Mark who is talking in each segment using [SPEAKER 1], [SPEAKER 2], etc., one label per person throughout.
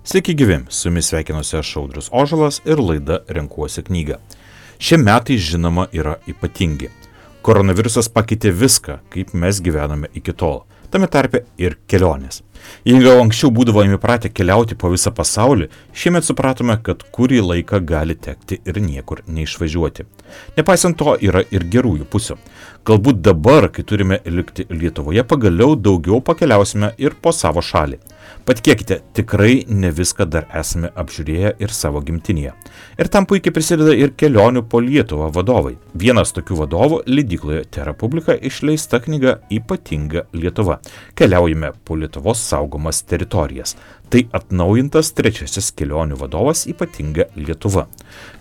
[SPEAKER 1] Sveiki gyvi, su jumis sveikinuosi aš Audrius Ožalas ir laida Renkuosi knygą. Šie metai žinoma yra ypatingi. Koronavirusas pakeitė viską, kaip mes gyvename iki tol, tame tarpe ir kelionės. Jei gal anksčiau būdavome įpratę keliauti po visą pasaulį, šiemet supratome, kad kurį laiką gali tekti ir niekur neišvažiuoti. Nepaisant to yra ir gerųjų pusių. Galbūt dabar, kai turime likti Lietuvoje, pagaliau daugiau pakeliausime ir po savo šalį. Patikėkite, tikrai ne viską dar esame apžiūrėję ir savo gimtinėje. Ir tam puikiai prisideda ir kelionių po Lietuvą vadovai. Vienas tokių vadovų leidykloje TeraPublica išleista knyga Ypatinga Lietuva. Keliaujame po Lietuvos saugomas teritorijas. Tai atnaujintas trečiasis kelionių vadovas Ypatinga Lietuva.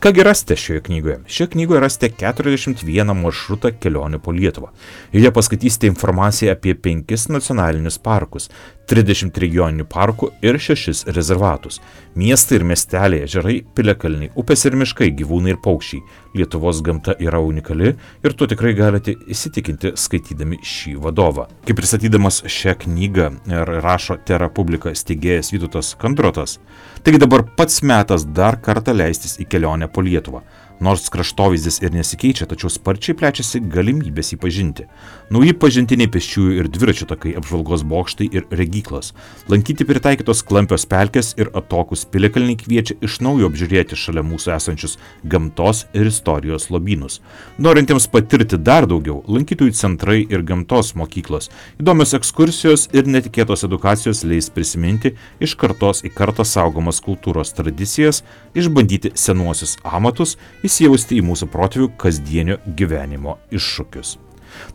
[SPEAKER 1] Kągi rasite šioje knygoje? Šioje knygoje rasite 41 maršrutą kelionių po Lietuvą. Joje paskaitysite informaciją apie 5 nacionalinius parkus, 30 regioninių parkų ir 6 rezervatus. Miestai ir miesteliai, ežerai, piliakalniai, upės ir miškai, gyvūnai ir paukščiai. Lietuvos gamta yra unikali ir tuo tikrai galite įsitikinti skaitydami šį vadovą. Kaip pristatydamas šią knygą rašo TeraPublica steigėjas Vytautas Kandrotas, taigi dabar pats metas dar kartą leistis į kelionę po Lietuvą. Nors kraštovaizdis ir nesikeičia, tačiau sparčiai plečiasi galimybės jį pažinti. Nauji pažintiniai pėsčiųjų ir dviračių takai, apžvalgos bokštai ir regyklos. Lankyti pritaikytos klampios pelkės ir atokūs piliakalniai kviečia iš naujo apžiūrėti šalia mūsų esančius gamtos ir istorijos lobynus. Norintiems patirti dar daugiau, lankytojų centrai ir gamtos mokyklos, įdomios ekskursijos ir netikėtos edukacijos leis prisiminti iš kartos į kartą saugomas kultūros tradicijas, išbandyti senuosius amatus, įsijausti į mūsų protėvių kasdienio gyvenimo iššūkius.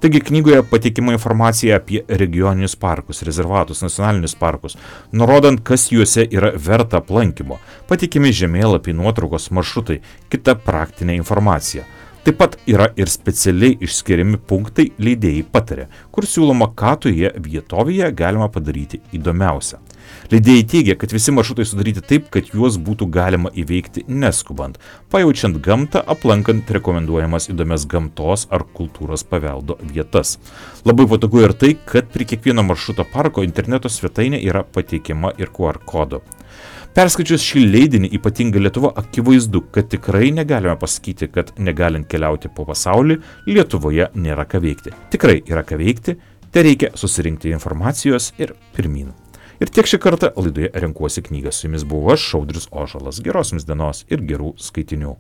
[SPEAKER 1] Taigi knygoje pateikiama informacija apie regioninius parkus, rezervatus, nacionalinius parkus, nurodant, kas juose yra verta aplankymo, pateikimi žemėlapiai, nuotraukos, maršrutai, kita praktinė informacija. Taip pat yra ir specialiai išskiriami punktai leidėjai patarė, kur siūloma, ką toje vietovėje galima padaryti įdomiausia. Leidėjai teigia, kad visi maršrutai sudaryti taip, kad juos būtų galima įveikti neskubant, pajaučiant gamtą, aplankant rekomenduojamas įdomias gamtos ar kultūros paveldo vietas. Labai patogu ir tai, kad prie kiekvieno maršruto parko interneto svetainė yra pateikiama ir QR kodu. Perskaičius šį leidinį Ypatinga Lietuva, akivaizdu, kad tikrai negalime pasakyti, kad negalint keliauti po pasaulį, Lietuvoje nėra ką veikti. Tikrai yra ką veikti, tai reikia susirinkti informacijos ir pirmyn. Ir tiek šį kartą laidoje Renkuosi knygą. Su jumis buvau aš, Audrius Ožalas. Geros jums dienos ir gerų skaitinių.